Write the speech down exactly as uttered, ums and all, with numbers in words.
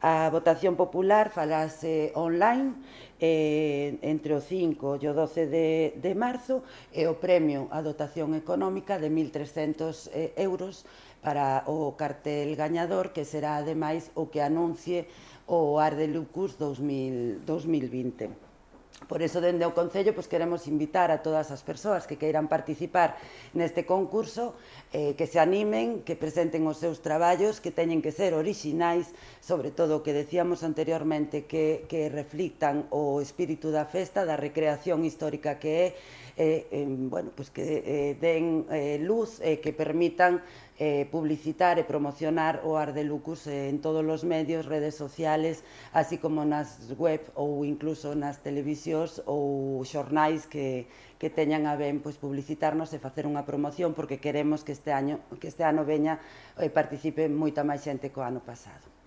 A votación popular falase online eh, entre o cinco e o doce de, de marzo e o premio a dotación económica de mil trescentos eh, euros para o cartel gañador, que será ademais o que anuncie o Art de Lucus dos mil vinte. Por iso, dende o Concello, pois, queremos invitar a todas as persoas que queiran participar neste concurso, eh, que se animen, que presenten os seus traballos, que teñen que ser orixinais, sobre todo o que decíamos anteriormente, que, que reflictan o espírito da festa, da recreación histórica que é, eh, eh, bueno, pois que eh, den eh, luz e eh, que permitan eh, publicitar e promocionar o Art de Lucus eh, en todos os medios, redes sociales, así como nas web ou incluso nas televisións ou xornais que, que teñan a ben, pois, publicitarnos e facer unha promoción, porque queremos que este, año, que este ano veña e participe moita máis xente co ano pasado.